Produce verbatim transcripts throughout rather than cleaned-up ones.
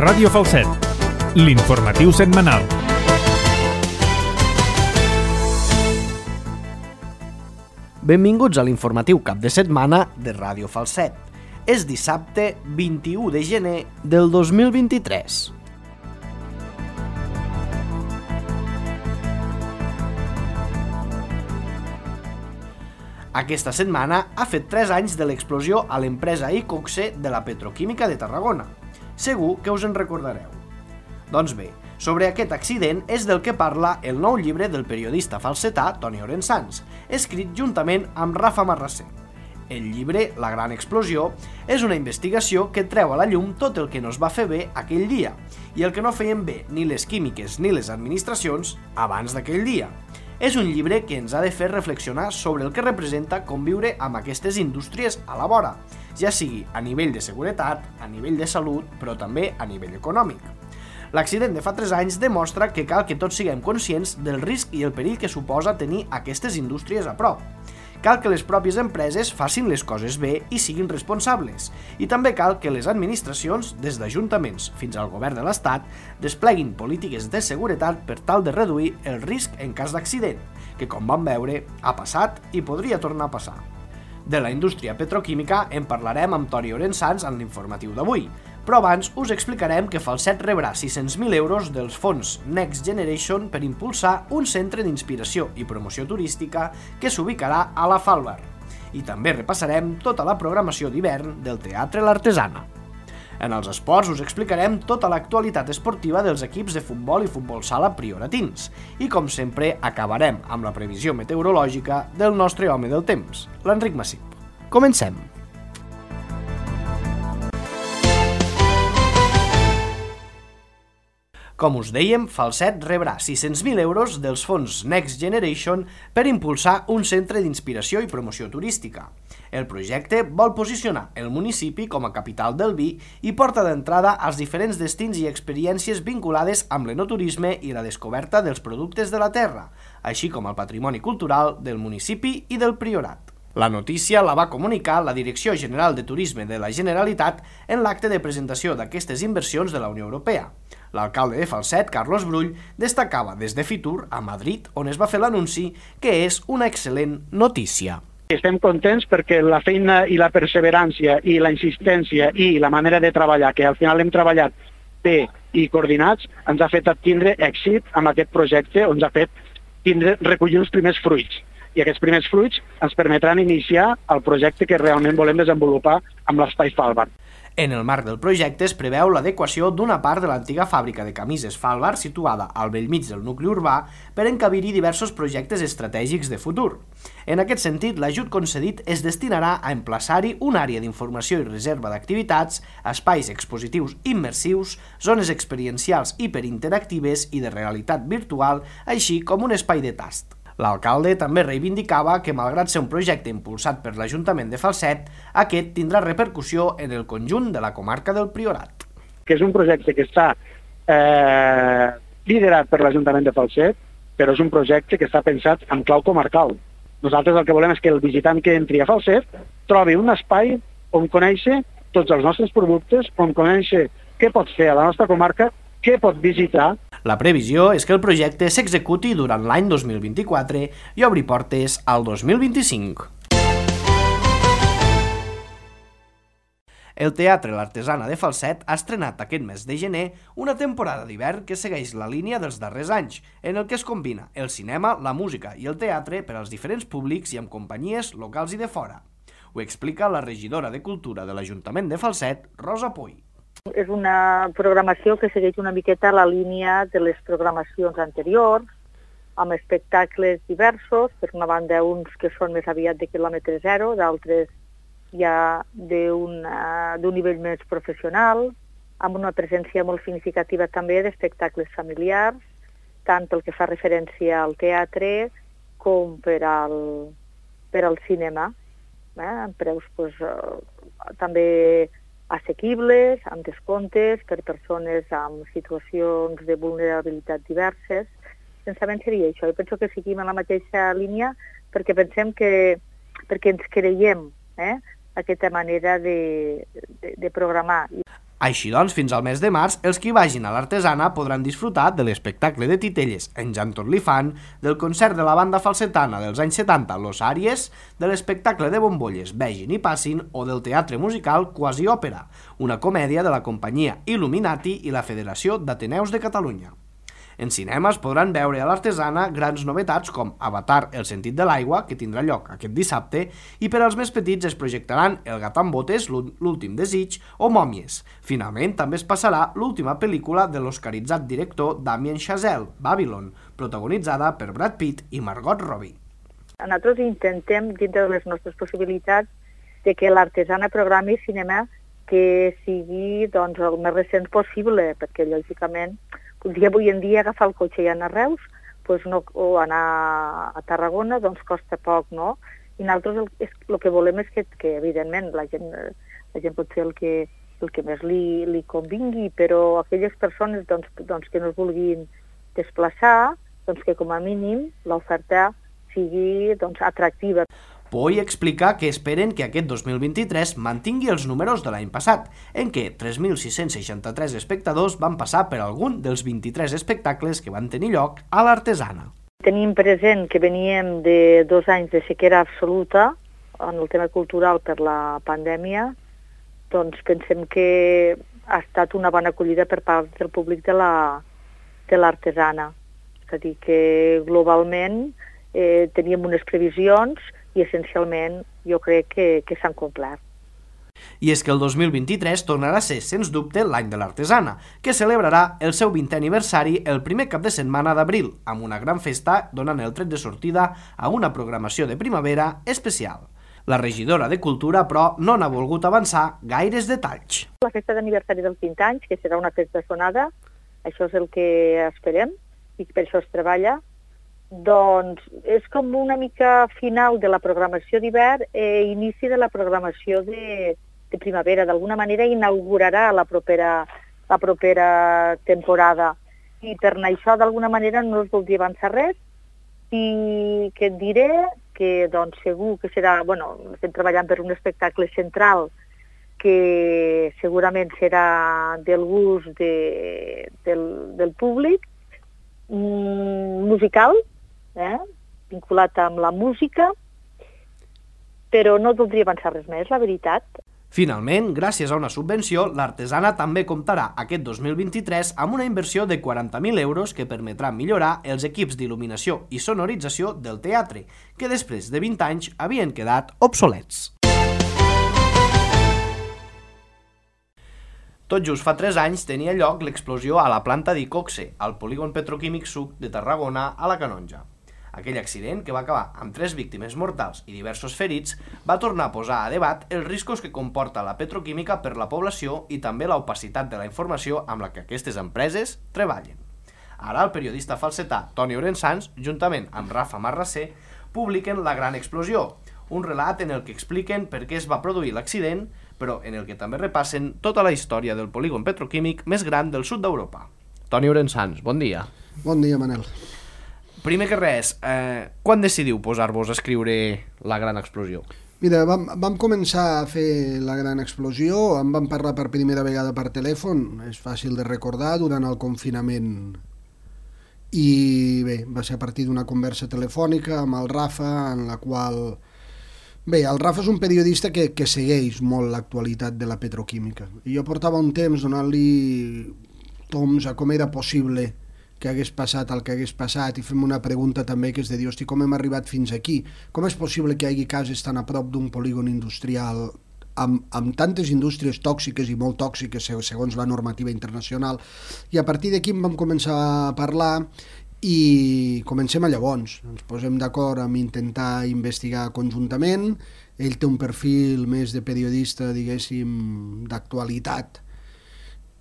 Ràdio Falset, l'informatiu setmanal. Benvinguts a l'informatiu cap de setmana de Ràdio Falset. És dissabte vint-i-u de gener del dos mil vint-i-tres. Aquesta setmana ha fet tres anys de l'explosió a l'empresa Iqoxe de la petroquímica de Tarragona. Segur que us en recordareu. Doncs bé, sobre aquest accident és del que parla el nou llibre del periodista falsetà Toni Orensanz, escrit juntament amb Rafa Marrasser. El llibre La gran explosió és una investigació que treu a la llum tot el que no es va fer bé aquell dia i el que no feien bé ni les químiques ni les administracions abans d'aquell dia. És un llibre que ens ha de fer reflexionar sobre el que representa conviure amb aquestes indústries a la vora, ja sigui a nivell de seguretat, a nivell de salut, però també a nivell econòmic. L'accident de fa tres anys demostra que cal que tots siguem conscients del risc i el perill que suposa tenir aquestes indústries a prop. Cal que les pròpies empreses facin les coses bé i siguin responsables, i també cal que les administracions, des d'ajuntaments fins al govern de l'Estat, despleguin polítiques de seguretat per tal de reduir el risc en cas d'accident, que com vam veure ha passat i podria tornar a passar. De la indústria petroquímica en parlarem amb Toni Orensanz en l'informatiu d'avui, però abans us explicarem que Falset rebrà sis-cents mil euros dels fons Next Generation per impulsar un centre d'inspiració i promoció turística que s'ubicarà a la Falbar. I també repassarem tota la programació d'hivern del Teatre L'Artesana. En els esports us explicarem tota l'actualitat esportiva dels equips de futbol i futbol sala prioratins. I com sempre acabarem amb la previsió meteorològica del nostre home del temps, l'Enric Massip. Comencem! Com us dèiem, Falset rebrà sis-cents mil euros dels fons Next Generation per impulsar un centre d'inspiració i promoció turística. El projecte vol posicionar el municipi com a capital del vi i porta d'entrada als diferents destins i experiències vinculades amb l'enoturisme i la descoberta dels productes de la terra, així com el patrimoni cultural del municipi i del Priorat. La notícia la va comunicar la Direcció General de Turisme de la Generalitat en l'acte de presentació d'aquestes inversions de la Unió Europea. L'alcalde de Falset, Carlos Brull, destacava des de Fitur, a Madrid, on es va fer l'anunci, que és una excel·lent notícia. Estem contents perquè la feina i la perseverància i la insistència i la manera de treballar, que al final hem treballat bé i coordinats, ens ha fet tindre èxit amb aquest projecte, ens ha fet tindre, recollir els primers fruits. I aquests primers fruits ens permetran iniciar el projecte que realment volem desenvolupar amb l'Espai Falbar. En el marc del projecte es preveu l'adequació d'una part de l'antiga fàbrica de camises Falbar situada al bellmig del nucli urbà per encabir-hi diversos projectes estratègics de futur. En aquest sentit, l'ajut concedit es destinarà a emplaçar-hi una àrea d'informació i reserva d'activitats, espais expositius immersius, zones experiencials hiperinteractives i de realitat virtual, així com un espai de tast. L'alcalde també reivindicava que, malgrat ser un projecte impulsat per l'Ajuntament de Falset, aquest tindrà repercussió en el conjunt de la comarca del Priorat. Que és un projecte que està eh, liderat per l'Ajuntament de Falset, però és un projecte que està pensat en clau comarcal. Nosaltres el que volem és que el visitant que entri a Falset trobi un espai on conèixer tots els nostres productes, on conèixer què pot fer a la nostra comarca, què pot visitar. La previsió és que el projecte s'executi durant l'any dos mil vint-i-quatre i obri portes al dos mil vint-i-cinc. El Teatre L'Artesana de Falset ha estrenat aquest mes de gener una temporada d'hivern que segueix la línia dels darrers anys, en el que es combina el cinema, la música i el teatre per als diferents públics i amb companyies locals i de fora. Ho explica la regidora de Cultura de l'Ajuntament de Falset, Rosa Puy. És una programació que segueix una miqueta la línia de les programacions anteriors, amb espectacles diversos, per una banda uns que són més aviat de quilòmetre zero, d'altres ja d'un nivell més professional, amb una presència molt significativa també d'espectacles familiars, tant pel que fa referència al teatre com per al, per al cinema, eh? amb preus pues, eh, també assequibles, amb descomptes per persones amb situacions de vulnerabilitat diverses. Pensament seria això. Jo penso que seguim en la mateixa línia perquè pensem que, perquè ens creiem eh, aquesta manera de, de, de programar. Així doncs, fins al mes de març, els qui vagin a l'Artesana podran disfrutar de l'espectacle de titelles En Jan tot li fan, del concert de la banda falsetana dels anys setanta Los Àries, de l'espectacle de bombolles Vegin i passin o del teatre musical Quasi Òpera, una comèdia de la companyia Illuminati i la Federació d'Ateneus de Catalunya. En cinema es podran veure a l'Artesana grans novetats com Avatar, el sentit de l'aigua, que tindrà lloc aquest dissabte, i per als més petits es projectaran El gat amb botes, l'últim desig o Mòmies. Finalment, també es passarà l'última pel·lícula de l'oscaritzat director Damien Chazelle, Babylon, protagonitzada per Brad Pitt i Margot Robbie. Nosaltres intentem, dintre de les nostres possibilitats, de que l'Artesana programi cinema que sigui doncs, el més recent possible, perquè lògicament un dia avui en dia agafar el cotxe i anar a Reus doncs no, o anar a Tarragona doncs costa poc, no? I nosaltres el, és, el que volem és que, que evidentment, la gent, la gent pot fer el que, el que més li, li convingui, però aquelles persones doncs, doncs, que no es vulguin desplaçar, doncs que com a mínim l'oferta sigui doncs, atractiva. Poi explica que esperen que aquest dos mil vint-i-tres mantingui els números de l'any passat, en què tres mil sis-cents seixanta-tres espectadors van passar per algun dels vint-i-tres espectacles que van tenir lloc a l'Artesana. Tenim present que veníem de dos anys de sequera absoluta en el tema cultural per la pandèmia, doncs pensem que ha estat una bona acollida per part del públic de la, de l'Artesana. És a dir, que globalment eh, teníem unes previsions i essencialment jo crec que, que s'han complert. I és que el dos mil vint-i-tres tornarà a ser, sens dubte, l'any de l'Artesana, que celebrarà el seu vintè aniversari el primer cap de setmana d'abril, amb una gran festa donant el tret de sortida a una programació de primavera especial. La regidora de Cultura, però, no n'ha volgut avançar gaires detalls. La festa d'aniversari dels vint anys, que serà una festa sonada, això és el que esperem i per això es treballa, doncs és com una mica final de la programació d'hivern i inici de la programació de, de primavera. D'alguna manera inaugurarà la propera, la propera temporada. I per això, d'alguna manera, no us voldria avançar res i que et diré que doncs, segur que serà... Bueno, estem treballant per un espectacle central que segurament serà del gust de, del, del públic, mm, musical, Eh? vinculat amb la música, però no voldria avançar res més, la veritat. Finalment, gràcies a una subvenció, l'Artesana també comptarà aquest dos mil vint-i-tres amb una inversió de quaranta mil euros que permetrà millorar els equips d'il·luminació i sonorització del teatre, que després de vint anys havien quedat obsolets. Tot just fa tres anys tenia lloc l'explosió a la planta d'Icoxe, al polígon petroquímic Suc de Tarragona, a la Canonja. Aquell accident, que va acabar amb tres víctimes mortals i diversos ferits, va tornar a posar a debat els riscos que comporta la petroquímica per la població i també l'opacitat de la informació amb la que aquestes empreses treballen. Ara el periodista falsetà Toni Orensans, juntament amb Rafa Marrasser, publiquen La Gran Explosió, un relat en el que expliquen per què es va produir l'accident, però en el que també repassen tota la història del polígon petroquímic més gran del sud d'Europa. Toni Orensans, bon dia. Bon dia, Manel. Primer que res, eh, quan decidiu posar-vos a escriure La Gran Explosió? Mira, vam, vam començar a fer La Gran Explosió, en vam parlar per primera vegada per telèfon, és fàcil de recordar, durant el confinament. I bé, va ser a partir d'una conversa telefònica amb el Rafa, en la qual... Bé, el Rafa és un periodista que, que segueix molt l'actualitat de la petroquímica. I jo portava un temps donant-li toms a com era possible que hagués passat el que hagués passat i fem una pregunta també que és de dir, hosti, com hem arribat fins aquí? Com és possible que hi hagi cases tan a prop d'un polígon industrial amb, amb tantes indústries tòxiques i molt tòxiques segons la normativa internacional? I a partir d'aquí vam començar a parlar i comencem a llavors. Ens posem d'acord amb intentar investigar conjuntament. Ell té un perfil més de periodista, diguéssim, d'actualitat,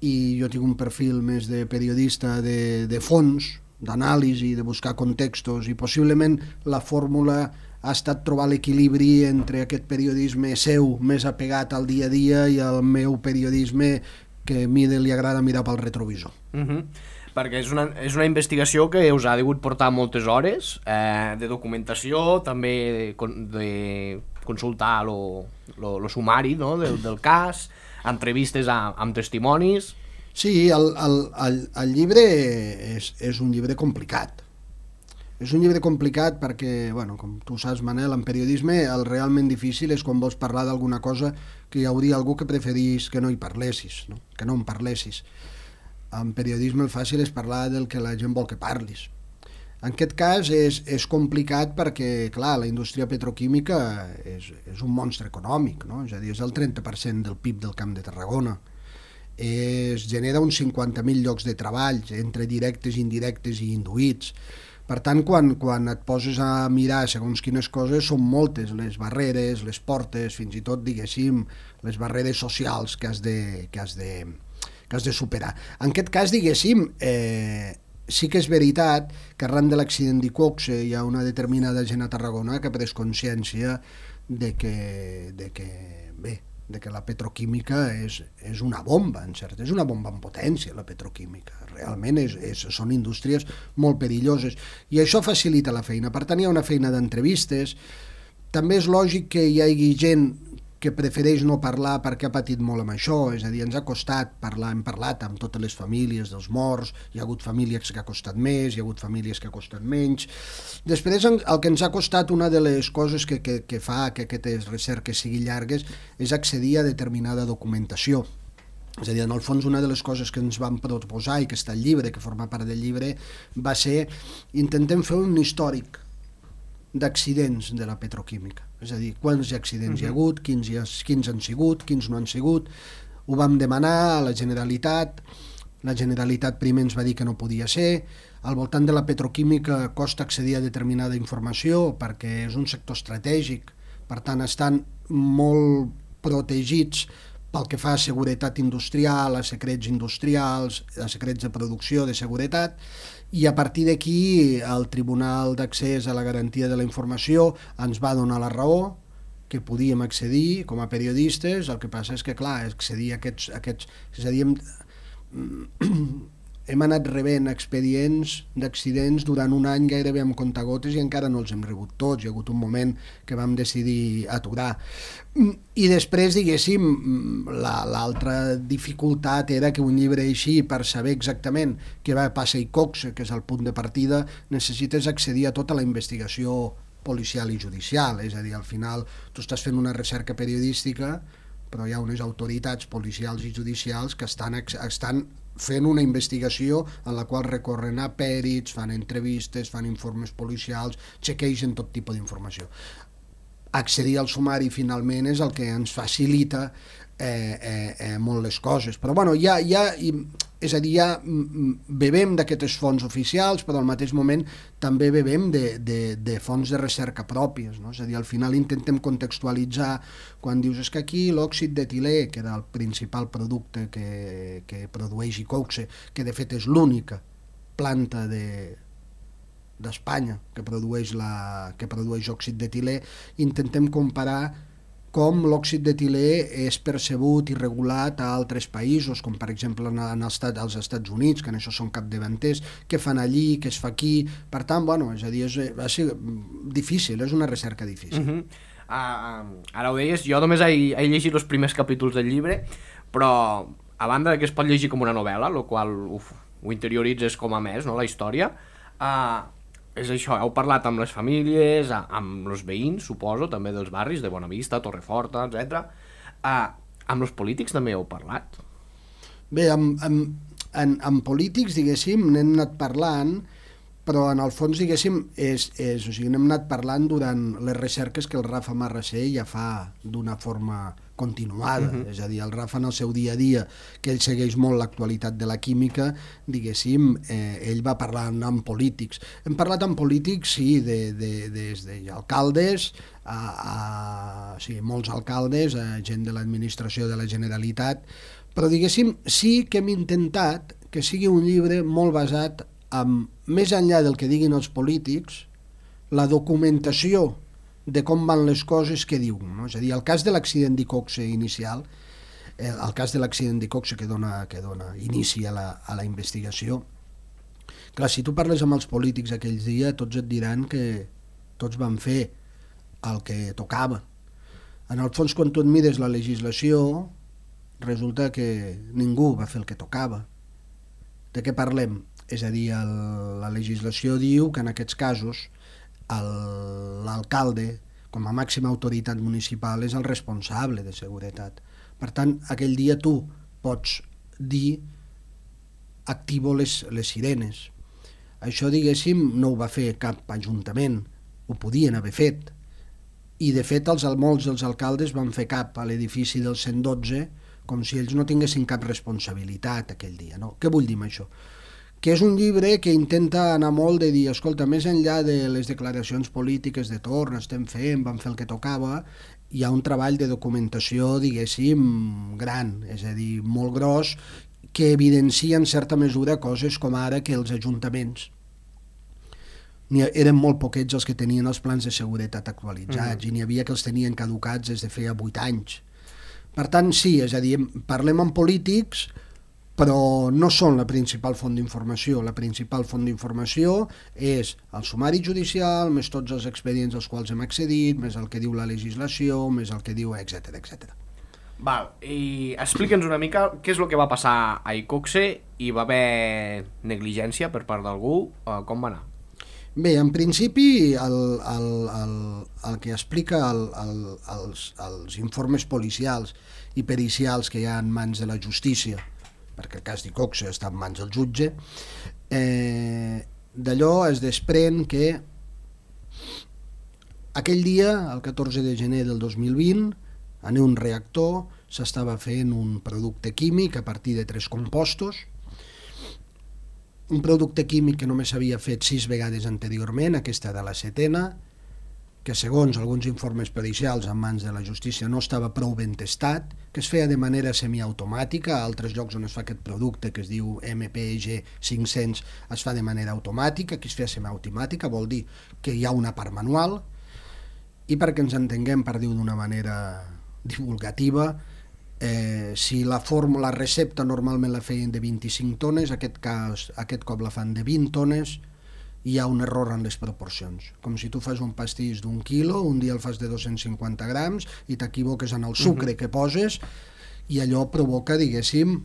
i jo tinc un perfil més de periodista de, de fons, d'anàlisi, de buscar contextos, i possiblement la fórmula ha estat trobar l'equilibri entre aquest periodisme seu més apegat al dia a dia i el meu periodisme que a mi li agrada mirar pel retrovisor. Uh-huh. Perquè és una, és una investigació que us ha degut portar moltes hores eh, de documentació, també de, de consultar el sumari, no?, del, del cas, entrevistes a, amb testimonis... Sí, el, el, el, el llibre és, és un llibre complicat. És un llibre complicat perquè, bueno, com tu saps, Manel, en periodisme el realment difícil és quan vols parlar d'alguna cosa que hi hauria algú que preferís que no hi parlessis, no? Que no en parlessis. En periodisme el fàcil és parlar del que la gent vol que parlis. En aquest cas és, és complicat perquè, clar, la indústria petroquímica és, és un monstre econòmic, no? És a dir, és el trenta per cent del P I B del Camp de Tarragona. Es genera uns cinquanta mil llocs de treball, entre directes, indirectes i induïts. Per tant, quan, quan et poses a mirar segons quines coses, són moltes les barreres, les portes, fins i tot, diguéssim, les barreres socials que has de, que has de, que has de superar. En aquest cas, diguéssim, eh, sí que és veritat que arran de l'accident d'Iqoxe hi ha una determinada gent a Tarragona que ha pres consciència de que, de que bé, de que la petroquímica és, és una bomba, en cert, és una bomba en potència, la petroquímica. Realment és, és, són indústries molt perilloses i això facilita la feina. Per tant, hi ha una feina d'entrevistes. També és lògic que hi hagi gent que prefereix no parlar perquè ha patit molt amb això, és a dir, ens ha costat parlar, hem parlat amb totes les famílies dels morts, hi ha hagut famílies que ha costat més, hi ha hagut famílies que ha costat menys. Després, el que ens ha costat, una de les coses que, que, que fa que aquestes recerques siguin llargues, és accedir a determinada documentació. És a dir, en el fons, una de les coses que ens vam proposar i que està al llibre, que forma part del llibre, va ser intentem fer un històric d'accidents de la petroquímica. És a dir, quants accidents uh-huh. hi ha hagut, quins, hi ha, quins han sigut, quins no han sigut. Ho vam demanar a la Generalitat, la Generalitat primer ens va dir que no podia ser. Al voltant de la petroquímica costa accedir a determinada informació perquè és un sector estratègic, per tant estan molt protegits pel que fa a seguretat industrial, a secrets industrials, a secrets de producció, de seguretat, i a partir d'aquí el Tribunal d'Accés a la Garantia de la Informació ens va donar la raó, que podíem accedir com a periodistes. El que passa és que, clar, accedir a aquests... A aquests és a dir, hem, hem anat rebent expedients d'accidents durant un any gairebé amb comptagotes i encara no els hem rebut tots. Hi ha hagut un moment que vam decidir aturar. I després, diguéssim, l'altra dificultat era que un llibre així, per saber exactament què va passar a Iqoxe, que és el punt de partida, necessites accedir a tota la investigació policial i judicial. És a dir, al final tu estàs fent una recerca periodística, però hi ha unes autoritats policials i judicials que estan, estan fent una investigació en la qual recorren a pèrits, fan entrevistes, fan informes policials, chequegen tot tipus d'informació. Accedir al sumari finalment és el que ens facilita eh, eh, eh, molt les coses. Però bueno, ja, ja, és a dir, ja bebem d'aquests fons oficials, però al mateix moment també bebem de, de, de fons de recerca pròpies, no? És a dir, al final intentem contextualitzar quan dius és que aquí l'òxid d'etilè, que era el principal producte que, que produeix Iqoxe, que de fet és l'única planta de d'Espanya que produeix, la, que produeix òxid d'etilè, intentem comparar com l'òxid d'etilè és percebut i regulat a altres països, com per exemple en el estat, als Estats Units, que en això són capdavanters, què fan allí, què es fa aquí. Per tant, bueno, és a dir, és, va ser difícil, és una recerca difícil. Uh-huh. uh, ara ho deies, jo només he, he llegit els primers capítols del llibre, però a banda que es pot llegir com una novel·la, el qual uf, ho interioritzes com a més, no, la història, uh, és això, heu parlat amb les famílies, amb els veïns, suposo, també dels barris, de Bonavista, Torreforta, etcètera. Uh, amb els polítics també heu parlat? Bé, amb, amb, en, amb polítics, diguéssim, n'hem anat parlant, però en el fons, diguéssim, és, és, o sigui, n'hem anat parlant durant les recerques que el Rafa Marrasser ja fa d'una forma continuada, uh-huh. És a dir, el Rafa en el seu dia a dia, que ell segueix molt l'actualitat de la química, diguéssim, eh, ell va parlar amb polítics. Hem parlat amb polítics, sí, de, de, des d'alcaldes, a, a, sí, molts alcaldes, a gent de l'administració de la Generalitat, però diguéssim, sí que hem intentat que sigui un llibre molt basat en, més enllà del que diguin els polítics, la documentació de com van les coses que diuen, no? És a dir, el cas de l'accident d'Iqoxe inicial, eh, el cas de l'accident d'Iqoxe que dona, que dona inici a la, a la investigació, clar, si tu parles amb els polítics aquells dies, tots et diran que tots van fer el que tocava. En el fons, quan tu et mires la legislació, resulta que ningú va fer el que tocava. De què parlem? És a dir, el, la legislació diu que en aquests casos l'alcalde, com a màxima autoritat municipal, és el responsable de seguretat. Per tant, aquell dia tu pots dir activo les, les sirenes. Això, diguéssim, no ho va fer cap ajuntament, ho podien haver fet. I, de fet, els molts dels alcaldes van fer cap a l'edifici del cent dotze com si ells no tinguessin cap responsabilitat aquell dia. No? Què vull dir amb això? Que és un llibre que intenta anar molt de dir, escolta, més enllà de les declaracions polítiques de torn, estem fent, vam fer el que tocava, hi ha un treball de documentació, diguéssim, gran, és a dir, molt gros, que evidencia en certa mesura coses com ara que els ajuntaments eren molt poquets els que tenien els plans de seguretat actualitzats, mm. i n'hi havia que els tenien caducats des de feia vuit anys. Per tant, sí, és a dir, parlem amb polítics, però no són la principal font d'informació. La principal font d'informació és el sumari judicial, més tots els expedients als quals hem accedit, més el que diu la legislació, més el que diu, etcètera, etcètera. Val, i explica'ns una mica què és el que va passar a Icoxe. Hi va haver negligència per part d'algú? Com va anar? Bé, en principi el, el, el, el que explica el, el, els, els informes policials i pericials que hi ha en mans de la justícia, perquè el cas d'Icoxe està en mans del jutge, eh, d'allò es desprèn que aquell dia, el catorze de gener del dos mil vint, en un reactor s'estava fent un producte químic a partir de tres compostos, un producte químic que només s'havia fet sis vegades anteriorment, aquesta de la setena, que segons alguns informes pericials en mans de la justícia no estava prou ben testat, que es feia de manera semiautomàtica. A altres llocs on es fa aquest producte, que es diu M P G cinc-cents, es fa de manera automàtica. Aquí es feia semiautomàtica, vol dir que hi ha una part manual, i perquè ens entenguem, per dir-ho d'una manera divulgativa, eh, si la fórmula recepta normalment la feien de vint-i-cinc tones, aquest, cas, aquest cop la fan de vint tones, hi ha un error en les proporcions. Com si tu fas un pastís d'un quilo, un dia el fas de dos-cents cinquanta grams i t'equivoques en el sucre uh-huh. que poses, i allò provoca, diguéssim,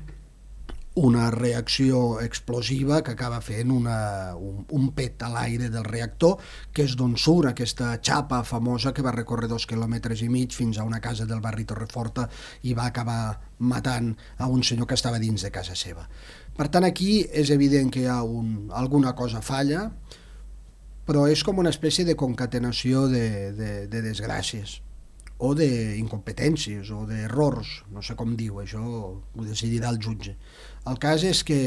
una reacció explosiva que acaba fent una, un, un pet a l'aire del reactor, que és d'on surt aquesta xapa famosa que va recórrer dos quilòmetres i mig fins a una casa del barri Torreforta i va acabar matant a un senyor que estava dins de casa seva. Per tant, aquí és evident que hi ha un, alguna cosa falla, però és com una espècie de concatenació de, de, de desgràcies, o d'incompetències, o d'errors, no sé com diu, això ho decidirà el jutge. El cas és que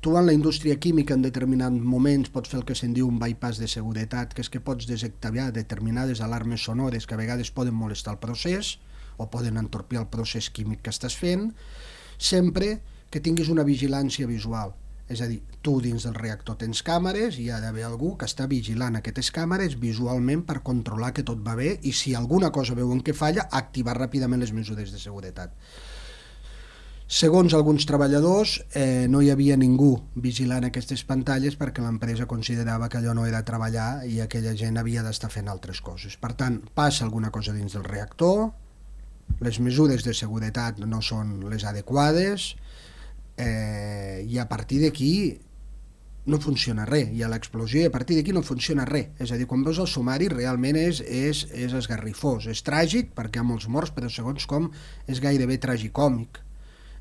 tu en la indústria química en determinats moments pots fer el que se'n diu un bypass de seguretat, que és que pots desactivar determinades alarmes sonores que a vegades poden molestar el procés o poden entorpir el procés químic que estàs fent, sempre que tinguis una vigilància visual. És a dir, tu dins del reactor tens càmeres i hi ha d'haver algú que està vigilant aquestes càmeres visualment per controlar que tot va bé i si alguna cosa veuen que falla, activar ràpidament les mesures de seguretat. Segons alguns treballadors, eh, no hi havia ningú vigilant aquestes pantalles perquè l'empresa considerava que allò no era treballar i aquella gent havia d'estar fent altres coses. Per tant, passa alguna cosa dins del reactor, les mesures de seguretat no són les adequades, eh, i a partir d'aquí no funciona res, hi ha l'explosió i a partir d'aquí no funciona res. És a dir, quan veus el sumari realment és, és, és esgarrifós, és tràgic perquè hi ha molts morts, però segons com és gairebé tragicòmic.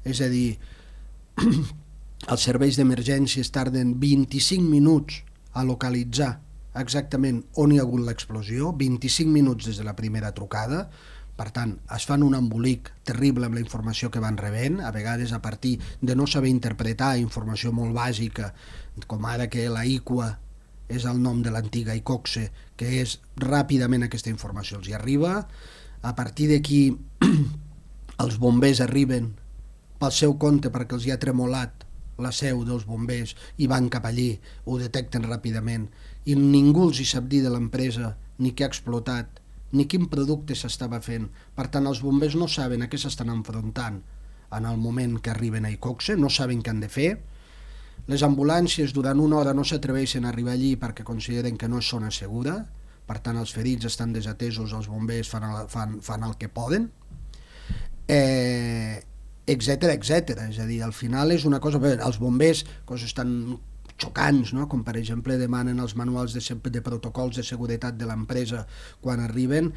És a dir, els serveis d'emergències tarden vint-i-cinc minuts a localitzar exactament on hi ha hagut l'explosió, vint-i-cinc minuts des de la primera trucada. Per tant, es fan un embolic terrible amb la informació que van rebent, a vegades a partir de no saber interpretar informació molt bàsica, com ara que la Iqua és el nom de l'antiga Icoxe, que és ràpidament aquesta informació els hi arriba. A partir d'aquí els bombers arriben pel seu compte perquè els hi ha tremolat la seu dels bombers i van cap allí, ho detecten ràpidament i ningú els hi sap dir de l'empresa ni què ha explotat ni quin producte s'estava fent. Per tant, els bombers no saben a què s'estan enfrontant en el moment que arriben a Icoxe, no saben què han de fer. Les ambulàncies durant una hora no s'atreveixen a arribar allí perquè consideren que no és zona segura, per tant els ferits estan desatesos, els bombers fan el, fan, fan el que poden, eh, etcètera, etcètera. És a dir, al final és una cosa... Bé, els bombers, coses tan xocants, no? Com per exemple demanen els manuals de, de protocols de seguretat de l'empresa quan arriben,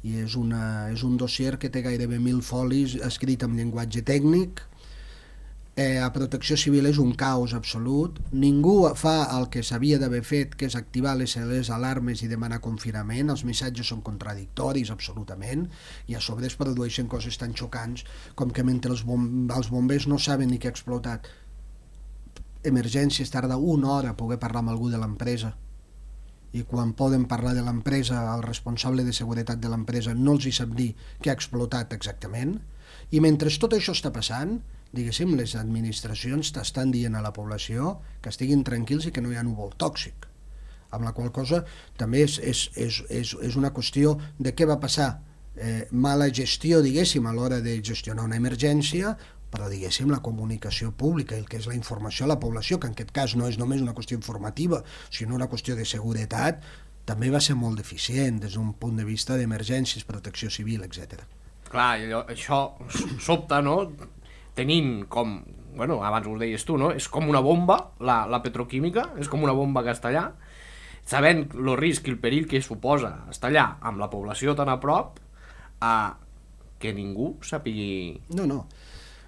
i és, una, és un dossier que té gairebé mil folis escrit en llenguatge tècnic. Eh, a Protecció Civil és un caos absolut, ningú fa el que s'havia d'haver fet, que és activar les, les alarmes i demanar confinament, els missatges són contradictoris absolutament, i a sobre es produeixen coses tan xocants com que mentre els, bom els bombers no saben ni què ha explotat emergències, tarda una hora a poder parlar amb algú de l'empresa, i quan poden parlar de l'empresa, el responsable de seguretat de l'empresa no els hi sap dir què ha explotat exactament, i mentre tot això està passant, diguéssim, les administracions estan dient a la població que estiguin tranquils i que no hi ha núvol tòxic, amb la qual cosa també és, és, és, és, és una qüestió de què va passar, eh, mala gestió, diguéssim, a l'hora de gestionar una emergència, però diguéssim la comunicació pública, el que és la informació a la població, que en aquest cas no és només una qüestió informativa, sinó una qüestió de seguretat, també va ser molt deficient des d'un punt de vista d'emergències, protecció civil, etcètera. Clar, allò, això sobta, no? Tenint com, bueno, abans ho deies tu, no? És com una bomba, la, la petroquímica, és com una bomba que està allà, sabent el risc i el perill que suposa estar allà amb la població tan a prop, a que ningú sàpigui... No, no.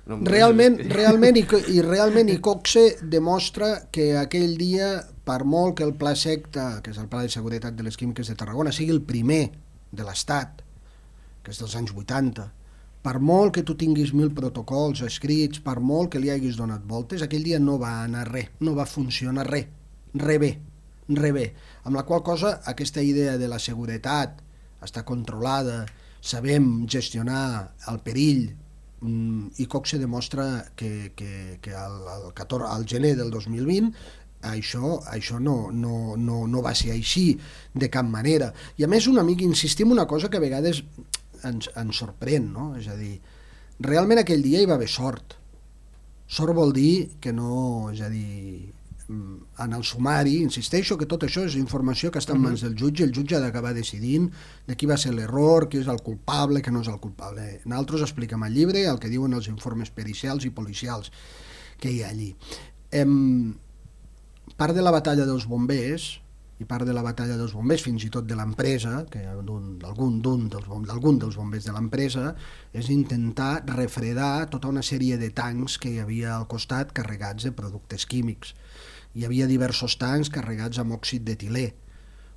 No, realment, realment, i, i realment Iqoxe demostra que aquell dia, per molt que el Pla Secta, que és el Pla de Seguretat de les Químiques de Tarragona, sigui el primer de l'Estat, que és dels anys vuitanta, per molt que tu tinguis mil protocols escrits, per molt que li haguis donat voltes, aquell dia no va anar res, no va funcionar res, res bé, res bé. Amb la qual cosa, aquesta idea de la seguretat està controlada, sabem gestionar el perill, Iqoxe demostra que, que, que al, al, catorze, al gener del dos mil vint això, això no, no, no, no va ser així de cap manera. I a més una mica insistim una cosa que a vegades ens, ens sorprèn, no? És a dir, realment aquell dia hi va haver sort. Sort vol dir que no, és a dir, en el sumari, insisteixo que tot això és informació que està en mans del jutge, el jutge ha d'acabar decidint de qui va ser l'error, qui és el culpable, qui no és el culpable. Nosaltres expliquem al llibre el que diuen els informes pericials i policials que hi ha allí. Em, part de la batalla dels bombers, i part de la batalla dels bombers, fins i tot de l'empresa, d'algun dels, dels bombers de l'empresa, és intentar refredar tota una sèrie de tancs que hi havia al costat carregats de productes químics. Hi havia diversos tancs carregats amb òxid d'etilè.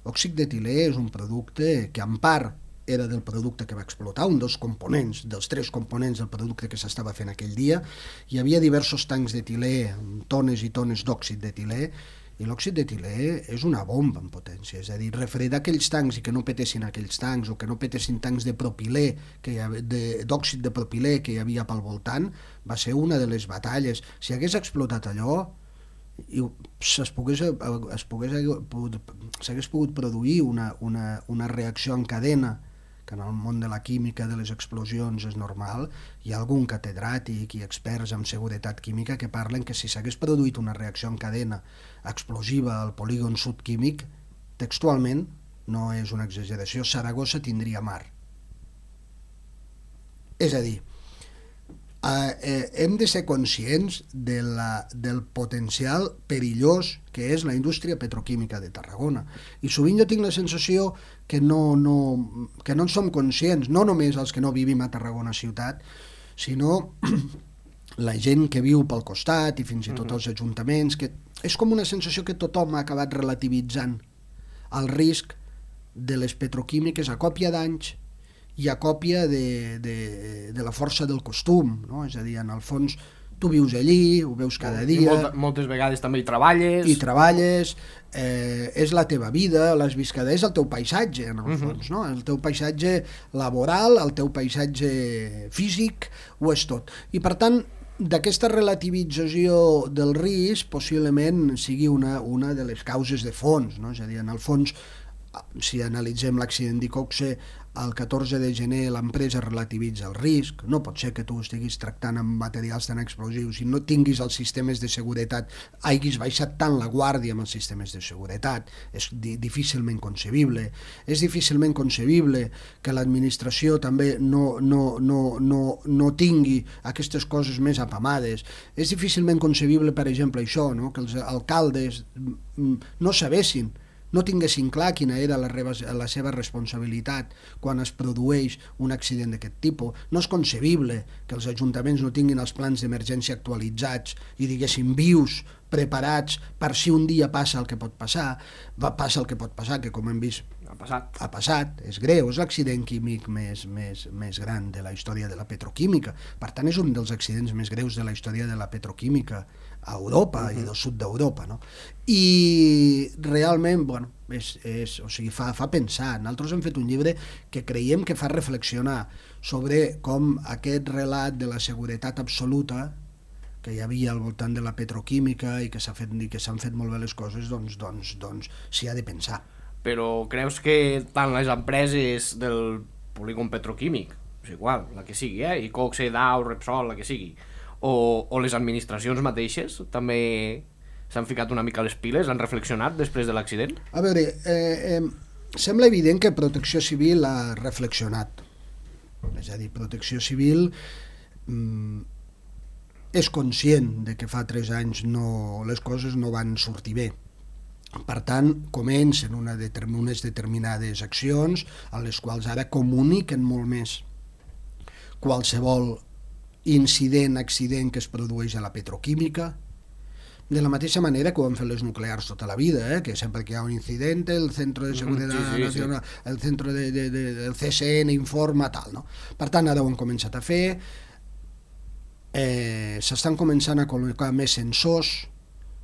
Òxid d'etilè és un producte que en part era del producte que va explotar, un dels components, dels tres components del producte que s'estava fent aquell dia. Hi havia diversos tancs d'etilè, tones i tones d'òxid d'etilè, i l'òxid d'etilè és una bomba en potència, és a dir, refredar aquells tancs i que no petessin aquells tancs, o que no petessin tancs de propilè, d'òxid de, de propilè que hi havia pel voltant, va ser una de les batalles. Si hagués explotat allò, s'hagués pogués, pogués pogut produir una, una, una reacció en cadena, que en el món de la química, de les explosions, és normal. Hi ha algun catedràtic i experts en seguretat química que parlen que si s'hagués produït una reacció en cadena explosiva al polígon sud químic, textualment, no és una exageració, Saragossa tindria mar. És a dir, Uh, eh, hem de ser conscients de la, del potencial perillós que és la indústria petroquímica de Tarragona, i sovint jo tinc la sensació que no, no, que no en som conscients, no només els que no vivim a Tarragona ciutat, sinó la gent que viu pel costat i fins i tot els ajuntaments, que és com una sensació que tothom ha acabat relativitzant el risc de les petroquímiques a còpia d'anys i a còpia de, de, de la força del costum, no? És a dir, en el fons tu vius allí, ho veus cada dia... I molta, moltes vegades també hi treballes... I treballes, eh, és la teva vida, l'has vist cada... és el teu paisatge, en el uh-huh. fons, no? El teu paisatge laboral, el teu paisatge físic, ho és tot. I per tant, d'aquesta relativització del risc possiblement sigui una, una de les causes de fons, no? És a dir, en el fons, si analitzem l'accident d'Iqoxe, el catorze de gener l'empresa relativitza el risc, no pot ser que tu estiguis tractant amb materials tan explosius i no tinguis els sistemes de seguretat, hagis baixat tant la guàrdia amb els sistemes de seguretat, és di difícilment concebible. És difícilment concebible que l'administració també no, no, no, no, no tingui aquestes coses més apamades. És difícilment concebible, per exemple, això, no? Que els alcaldes no sabessin, no tinguessin clar quina era la, la seva responsabilitat quan es produeix un accident d'aquest tipus. No és concebible que els ajuntaments no tinguin els plans d'emergència actualitzats i diguéssim vius, preparats per si un dia passa el que pot passar. Va, passa el que pot passar, que com hem vist ha passat, ha passat, és greu, és l'accident químic més, més, més gran de la història de la petroquímica. Per tant, és un dels accidents més greus de la història de la petroquímica a Europa uh-huh. i del sud d'Europa, no? I realment, bueno, és, és, o sigui, fa, fa pensar. Nosaltres hem fet un llibre que creiem que fa reflexionar sobre com aquest relat de la seguretat absoluta que hi havia al voltant de la petroquímica i que s'ha fet i que s'han fet molt bé les coses, doncs, doncs, doncs s'hi ha de pensar. Però creus que tant les empreses del polígon petroquímic, és igual, la que sigui, eh? I Coxe, Dow, Repsol, la que sigui, o, o les administracions mateixes també s'han ficat una mica les piles, han reflexionat després de l'accident? A veure, eh, eh, sembla evident que Protecció Civil ha reflexionat. És a dir, Protecció Civil mm, és conscient de que fa tres anys no, les coses no van sortir bé. Per tant, comencen una determ unes determinades accions a les quals ara comuniquen molt més qualsevol incident, accident que es produeix a la petroquímica, de la mateixa manera que ho han fet les nuclears tota la vida, eh? Que sempre que hi ha un incident el Centro de Seguridad sí, sí, Nacional, sí. el Centro de, de, de, del C S N informa, tal, no? Per tant, ara ho han començat a fer, eh, s'estan començant a col·locar més sensors,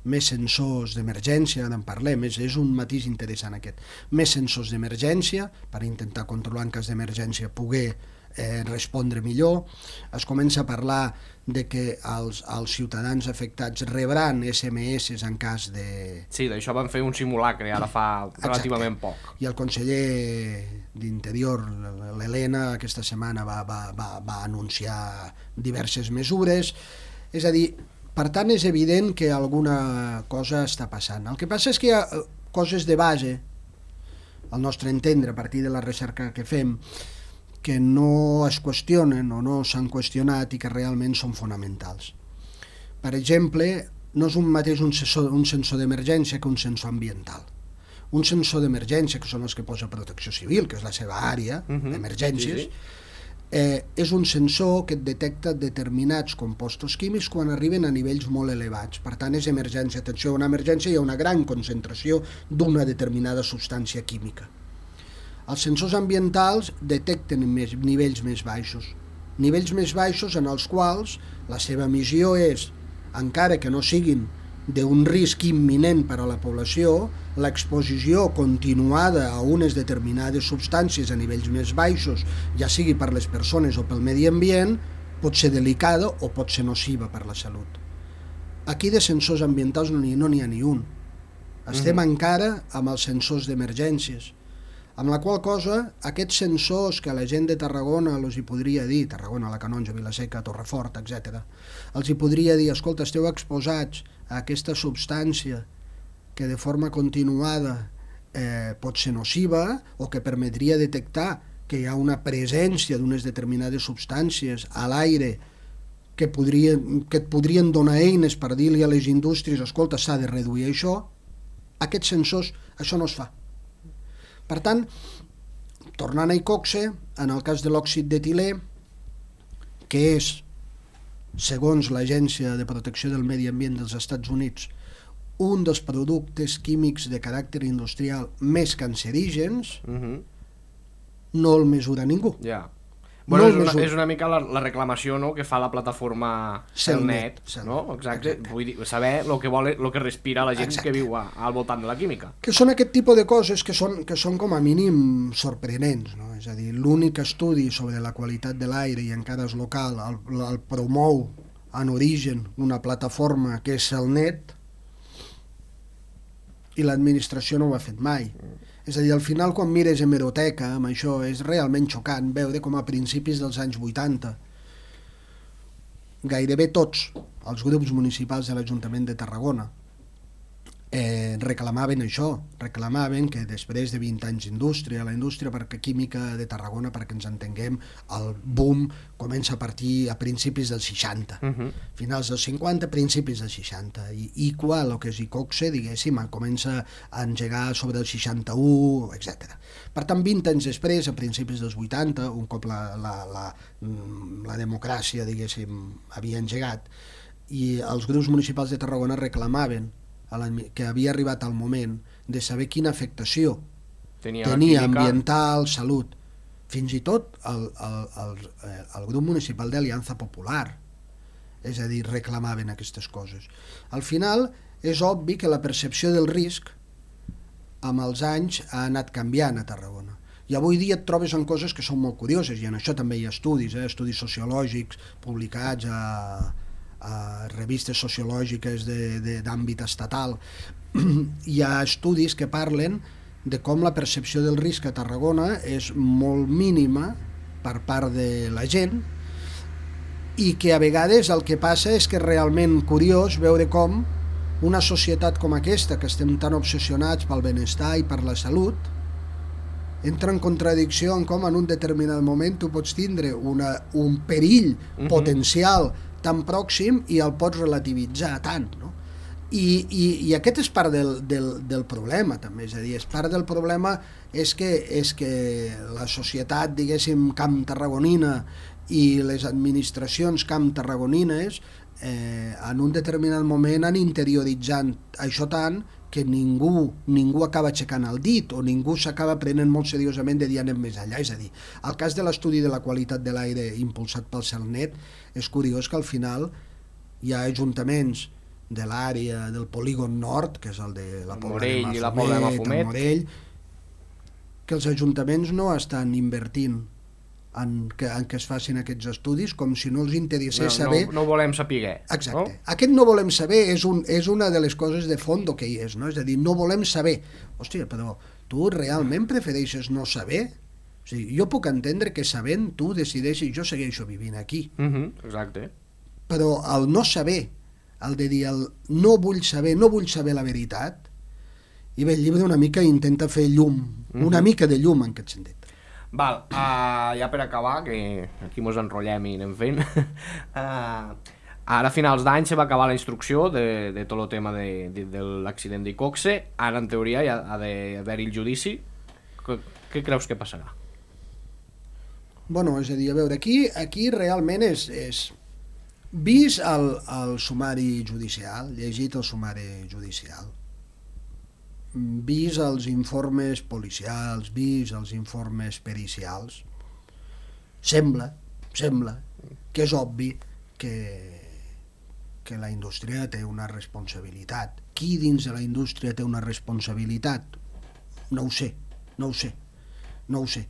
més sensors d'emergència, ara en parlem, és, és un matís interessant aquest, més sensors d'emergència per intentar controlar en cas d'emergència poder eh, respondre millor. Es comença a parlar de que els, els ciutadans afectats rebran S M S en cas de... Sí, d'això van fer un simulacre ara fa relativament Exacte. poc. I el conseller d'Interior, l'Helena, aquesta setmana va, va, va, va anunciar diverses mesures. És a dir, per tant, és evident que alguna cosa està passant. El que passa és que hi ha coses de base, al nostre entendre, a partir de la recerca que fem, que no es qüestionen o no s'han qüestionat i que realment són fonamentals. Per exemple, no és un mateix un sensor, un sensor d'emergència que un sensor ambiental. Un sensor d'emergència, que són els que posa Protecció Civil, que és la seva àrea, uh-huh. d'emergències, sí, sí. Eh, és un sensor que et detecta determinats compostos químics quan arriben a nivells molt elevats. Per tant, és emergència. Atenció, una emergència hi ha una gran concentració d'una determinada substància química. Els sensors ambientals detecten més, nivells més baixos. Nivells més baixos en els quals la seva missió és, encara que no siguin d'un risc imminent per a la població, l'exposició continuada a unes determinades substàncies a nivells més baixos, ja sigui per les persones o pel medi ambient, pot ser delicada o pot ser nociva per la salut. Aquí de sensors ambientals no n'hi no n'hi ha ni un. Estem mm-hmm. encara amb els sensors d'emergències, amb la qual cosa aquests sensors que la gent de Tarragona els hi podria dir, Tarragona, la Canonja, Vilaseca, Torrefort, etcètera, els hi podria dir, escolta, esteu exposats a aquesta substància que de forma continuada eh, pot ser nociva o que permetria detectar que hi ha una presència d'unes determinades substàncies a l'aire que, podrien, que et podrien donar eines per dir-li a les indústries, escolta, s'ha de reduir això. Aquests sensors, això no es fa. Per tant, tornant a Icoxe, en el cas de l'òxid d'etilè, que és, segons l'Agència de Protecció del Medi Ambient dels Estats Units, un dels productes químics de caràcter industrial més cancerígens, uh-huh. no el mesura ningú. Ja. Bueno, no és, una, és una mica la, la reclamació, no?, que fa la plataforma Celnet, no? Exacte. Exacte. Vull dir, saber el que vol, el que respira la gent Exacte. Que viu a, al voltant de la química. Que són aquest tipus de coses que són, que són com a mínim sorprenents, no? És a dir, l'únic estudi sobre la qualitat de l'aire i encara és local, el, el promou en origen una plataforma que és Celnet i l'administració no ho ha fet mai. És a dir, al final, quan mires hemeroteca, amb això, és realment xocant veure com a principis dels anys vuitanta gairebé tots els grups municipals de l'Ajuntament de Tarragona eh, reclamaven això, reclamaven que després de vint anys d'indústria, la indústria perquè química de Tarragona, perquè ens entenguem, el boom comença a partir a principis dels seixanta, uh-huh. finals dels cinquanta, principis dels seixanta, i Iqua, el que és Icoxe, diguéssim, comença a engegar sobre el seixanta-u, etcètera. Per tant, vint anys després, a principis dels vuitanta, un cop la, la, la, la democràcia, diguéssim, havia engegat, i els grups municipals de Tarragona reclamaven que havia arribat el moment de saber quina afectació tenia, tenia ambiental, salut, fins i tot el, el, el, el grup municipal d'Aliança Popular, és a dir, reclamaven aquestes coses. Al final, és obvi que la percepció del risc amb els anys ha anat canviant a Tarragona. I avui dia et trobes en coses que són molt curioses, i en això també hi ha estudis, eh? estudis sociològics publicats a, a revistes sociològiques d'àmbit estatal. Hi ha estudis que parlen de com la percepció del risc a Tarragona és molt mínima per part de la gent, i que a vegades el que passa és que és realment curiós veure com una societat com aquesta, que estem tan obsessionats pel benestar i per la salut, entra en contradicció en com en un determinat moment tu pots tindre una, un perill uh-huh. potencial tan pròxim i el pots relativitzar tant, no? I, i, i aquest és part del, del, del problema també, és a dir, és part del problema és que, és que la societat, diguéssim, camp tarragonina i les administracions camp tarragonines eh, en un determinat moment han interioritzant això tant que ningú, ningú acaba aixecant el dit o ningú s'acaba prenent molt seriosament de dir anem més enllà. És a dir, el cas de l'estudi de la qualitat de l'aire impulsat pel CERNET és curiós que al final hi ha ajuntaments de l'àrea del polígon nord, que és el de la Pobla de Mafumet, i la Pobla de Mafumet, Morell, que els ajuntaments no estan invertint en que, en que es facin aquests estudis, com si no els interessés no, saber... No, no volem saber. Exacte. No? Aquest no volem saber és, un, és una de les coses de fondo que hi és, no? És a dir, no volem saber. Hòstia, però tu realment prefereixes no saber? O sigui, jo puc entendre que sabent tu decideixis, jo segueixo vivint aquí. Uh-huh, exacte. Però el no saber, el de dir el no vull saber, no vull saber la veritat, i bé, el llibre una mica intenta fer llum, uh-huh. una mica de llum en aquest sentit. Val, uh, ja per acabar, que aquí mos enrotllem i anem fent, uh, ara a finals d'any se va acabar la instrucció de, de tot el tema de, de, de l'accident d'Icoxe, ara en teoria hi ha, ha d'haver-hi el judici. Què, què creus que passarà? Bueno, és a dir, a veure, aquí, aquí realment és, és vist el, el sumari judicial, llegit el sumari judicial, vist els informes policials, vist els informes pericials, sembla, sembla que és obvi que, que la indústria té una responsabilitat. Qui dins de la indústria té una responsabilitat? No ho sé, no ho sé, no ho sé.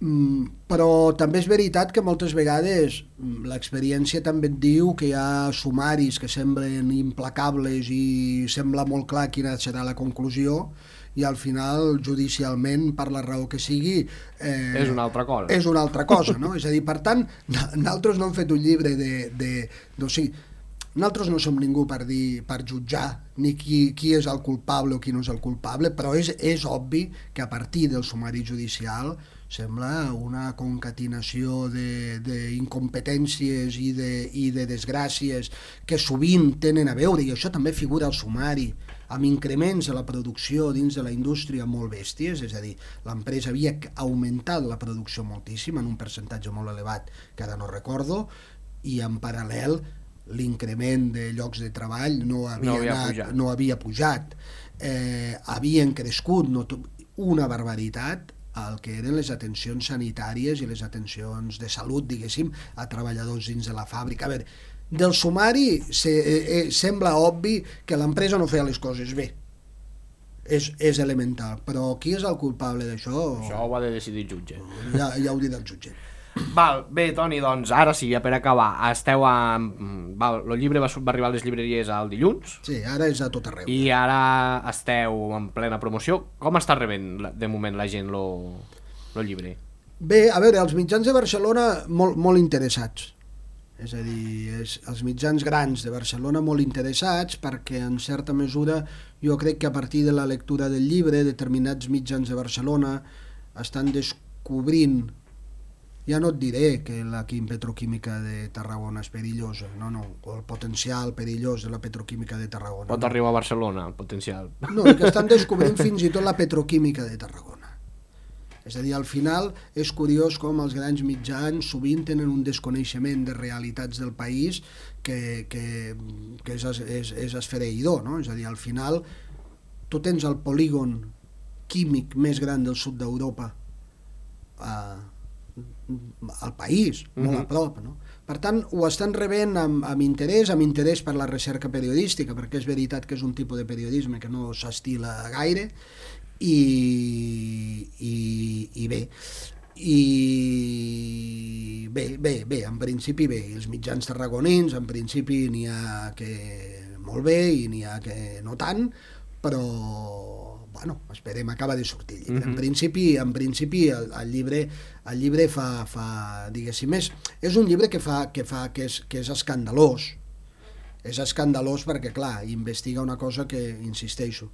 Mm, però també és veritat que moltes vegades l'experiència també et diu que hi ha sumaris que semblen implacables i sembla molt clar quina serà la conclusió i al final judicialment, per la raó que sigui, eh, és una altra cosa. És una altra cosa, no? És a dir, per tant, nosaltres no hem fet un llibre de... de, de o sigui, nosaltres no som ningú per dir, per jutjar ni qui, qui és el culpable o qui no és el culpable, però és, és obvi que a partir del sumari judicial sembla una concatenació d'incompetències i, de, i de desgràcies que sovint tenen a veure, i això també figura al sumari, amb increments de la producció dins de la indústria molt bèsties, és a dir, l'empresa havia augmentat la producció moltíssim, en un percentatge molt elevat que ara no recordo, i en paral·lel l'increment de llocs de treball no havia, no havia anat, pujat, no havia pujat. Eh, havien crescut no, una barbaritat el que eren les atencions sanitàries i les atencions de salut, diguéssim, a treballadors dins de la fàbrica. A veure, del sumari se, eh, sembla obvi que l'empresa no feia les coses bé. És, és elemental, però qui és el culpable d'això? Això ho ha de decidir el jutge. Ja, ja ho dirà el jutge. Val, bé, Toni, doncs ara sí, ja per acabar, esteu a... Val, el llibre va, va arribar a les llibreries el dilluns. Sí, ara és a tot arreu. I ara esteu en plena promoció. Com està rebent de moment la gent el llibre? Bé, a veure, els mitjans de Barcelona molt, molt interessats. És a dir, és, els mitjans grans de Barcelona molt interessats perquè en certa mesura jo crec que a partir de la lectura del llibre determinats mitjans de Barcelona estan descobrint, ja no et diré que la petroquímica de Tarragona és perillosa, no, no, o el potencial perillós de la petroquímica de Tarragona. Pot no. arribar a Barcelona, el potencial. No, que estan descobrint fins i tot la petroquímica de Tarragona. És a dir, al final és curiós com els grans mitjans sovint tenen un desconeixement de realitats del país que, que, que és, és, és esfereïdor, no? És a dir, al final tu tens el polígon químic més gran del sud d'Europa eh, al país, molt mm-hmm. a prop, no? Per tant, ho estan rebent amb, amb interès, amb interès per la recerca periodística, perquè és veritat que és un tipus de periodisme que no s'estila gaire, i, i, i bé, i bé, bé, bé, en principi bé, els mitjans tarragonins, en principi n'hi ha que molt bé i n'hi ha que no tant, però bueno, esperem, acaba de sortir. Mm-hmm. En principi, en principi el, el llibre, el llibre fa, fa diguéssim, és, és un llibre que fa, que fa, que és, que és escandalós. És escandalós perquè, clar, investiga una cosa que, insisteixo,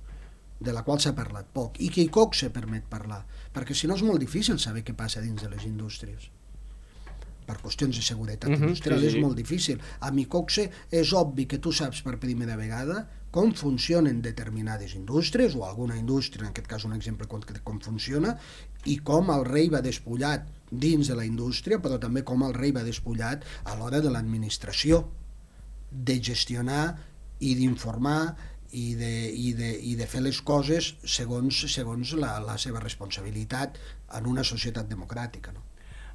de la qual s'ha parlat poc, i que i poc se permet parlar, perquè si no és molt difícil saber què passa dins de les indústries. Per qüestions de seguretat mm-hmm, industrial sí, sí. És molt difícil. A Micoxe és obvi que tu saps per primera vegada com funcionen determinades indústries, o alguna indústria, en aquest cas un exemple concret, com funciona, i com el rei va despullat dins de la indústria, però també com el rei va despullat a l'hora de l'administració, de gestionar i d'informar i de, i, de, i de fer les coses segons, segons la, la seva responsabilitat en una societat democràtica, no?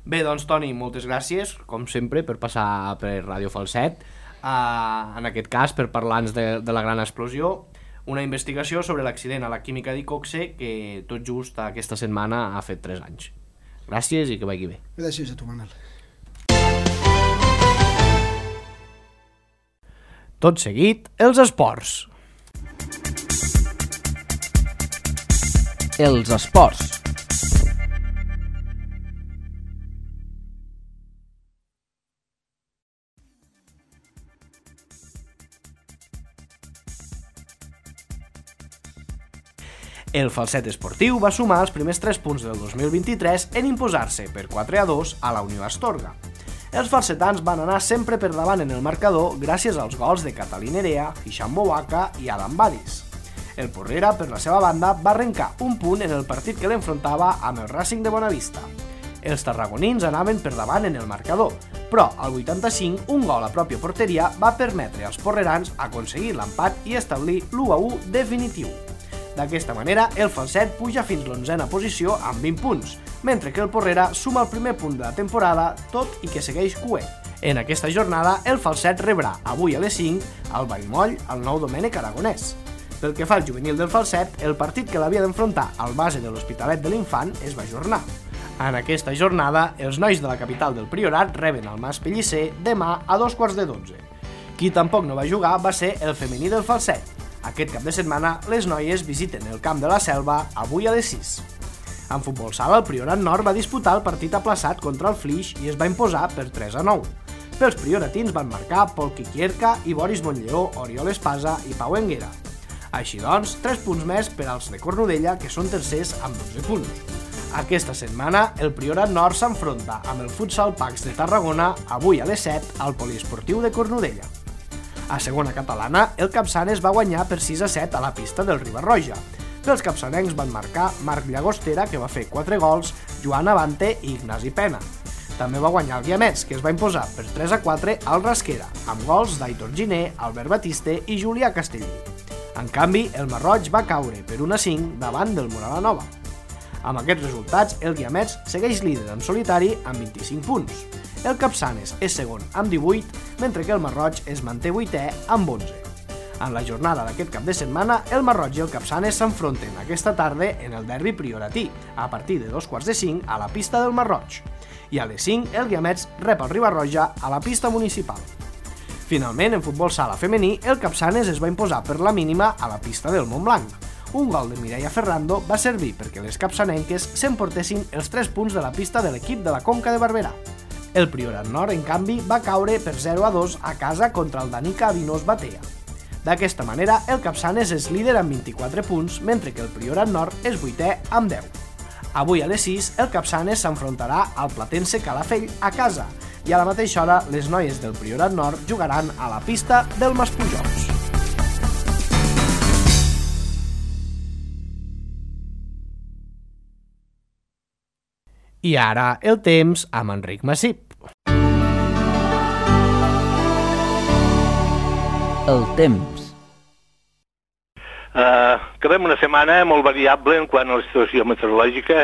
Bé, doncs, Toni, moltes gràcies, com sempre, per passar per Ràdio Falset, uh, en aquest cas per parlar-nos de, de la gran explosió, una investigació sobre l'accident a la química d'Icoxe que tot just aquesta setmana ha fet tres anys. Gràcies i que vagi bé. Gràcies a tu, Manel. Tot seguit, els esports. Els esports. El Falset esportiu va sumar els primers tres punts del dos mil vint-i-tres en imposar-se per quatre a dos a la Unió Astorga. Els falsetans van anar sempre per davant en el marcador gràcies als gols de Catalí Nerea, Hisham Bouaka i Adam Badis. El Porrera, per la seva banda, va arrencar un punt en el partit que l'enfrontava amb el Racing de Bonavista. Els tarragonins anaven per davant en el marcador, però al vuitanta-cinc un gol a pròpia porteria va permetre als porrerans aconseguir l'empat i establir l'u a u definitiu. D'aquesta manera, el Falset puja fins l'onzena posició amb vint punts, mentre que el Porrera suma el primer punt de la temporada, tot i que segueix cuer. En aquesta jornada, el Falset rebrà avui a les cinc al Vallmoll el nou Domènec Aragonès. Pel que fa al juvenil del Falset, el partit que l'havia d'enfrontar al base de l'Hospitalet de l'Infant es va ajornar. En aquesta jornada, els nois de la capital del Priorat reben el Mas Pellicer demà a dos quarts de dotze. Qui tampoc no va jugar va ser el femení del Falset. Aquest cap de setmana, les noies visiten el Camp de la Selva avui a les sis. En futbol sala, el Priorat Nord va disputar el partit aplaçat contra el Flix i es va imposar per tres a nou. Pels prioratins van marcar Pol Quiquierca i Boris Montllleó, Oriol Espasa i Pau Enguera. Així doncs, tres punts més per als de Cornudella, que són tercers amb dotze punts. Aquesta setmana, el Priorat Nord s'enfronta amb el Futsal Pax de Tarragona avui a les set al Poliesportiu de Cornudella. A segona catalana, el Capçanes va guanyar per sis a set a la pista del Riba-roja. Pels capçanencs van marcar Marc Llagostera, que va fer quatre gols, Joan Avante i Ignasi Pena. També va guanyar el Guiamets, que es va imposar per tres a quatre al Rasquera, amb gols d'Aitor Giner, Albert Batiste i Julià Castellí. En canvi, el Marroig va caure per un a cinc davant del Moralanova. Amb aquests resultats, el Guiamets segueix líder en solitari amb vint-i-cinc punts. El Capçanes és segon amb divuit, mentre que el Marroig es manté vuitè amb onze. En la jornada d'aquest cap de setmana, el Masroig i el Capçanes s'enfronten aquesta tarda en el derbi prioratí, a partir de dos quarts de cinc a la pista del Masroig. I a les cinc, el Guiamets rep el Riba-roja a la pista municipal. Finalment, en futbol sala femení, el Capçanes es va imposar per la mínima a la pista del Montblanc. Un gol de Mireia Ferrando va servir perquè les capçanenques s'emportessin els tres punts de la pista de l'equip de la Conca de Barberà. El Priorat Nord, en canvi, va caure per zero a dos a casa contra el Danica Avinós Batea. D'aquesta manera, el Capçanes és líder amb vint-i-quatre punts, mentre que el Priorat Nord és vuitè amb deu. Avui a les sis, el Capçanes s'enfrontarà al Platense Calafell a casa i a la mateixa hora les noies del Priorat Nord jugaran a la pista del Maspujols. I ara el temps amb Enric Massip. El temps. Uh, acabem una setmana molt variable en quant a la situació meteorològica,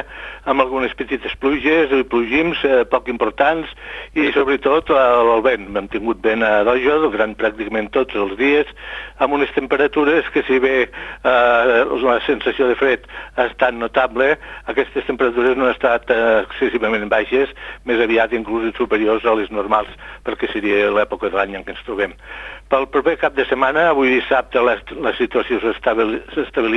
amb algunes petites pluges i plogims uh, poc importants i sobretot uh, el vent. Hem tingut vent a dojo durant pràcticament tots els dies, amb unes temperatures que, si bé uh, la sensació de fred ha estat notable, aquestes temperatures no han estat uh, excessivament baixes, més aviat inclús superiors a les normals, perquè seria l'època de l'any en què ens trobem. Pel proper cap de setmana, avui dissabte, la, la situació s'estabilitza.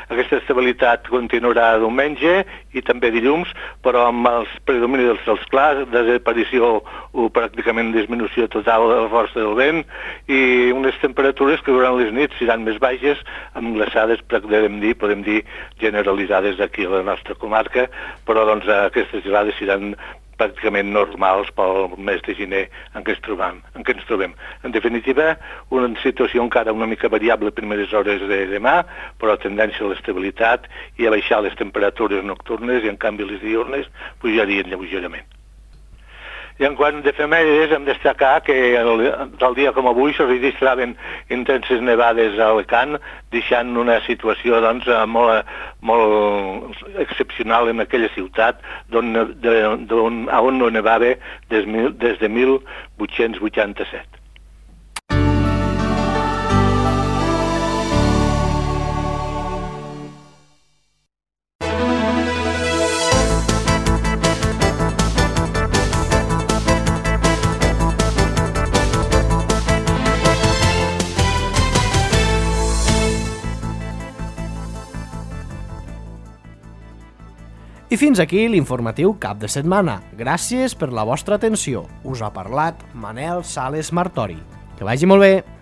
Aquesta estabilitat continuarà diumenge i també dilluns, però amb els predomini dels cels clars, desaparició o pràcticament disminució total de la força del vent i unes temperatures que durant les nits seran més baixes, amb glaçades, podem dir, podem dir generalitzades aquí a la nostra comarca, però doncs, aquestes gelades seran pràcticament normals pel mes de gener en què ens trobem. En, què ens trobem. En definitiva, una situació encara una mica variable a primeres hores de demà, però tendència a l'estabilitat i a baixar les temperatures nocturnes i en canvi les diurnes pujarien lleugerament. I en quant d'efemèrides hem de destacar que el, el dia com avui se registraven intenses nevades a Alacant, deixant una situació doncs, molt, molt excepcional en aquella ciutat d'on, d'on, on no nevava des, des de mil vuit-cents vuitanta-set. I fins aquí l'informatiu cap de setmana. Gràcies per la vostra atenció. Us ha parlat Manel Sales Martori. Que vagi molt bé!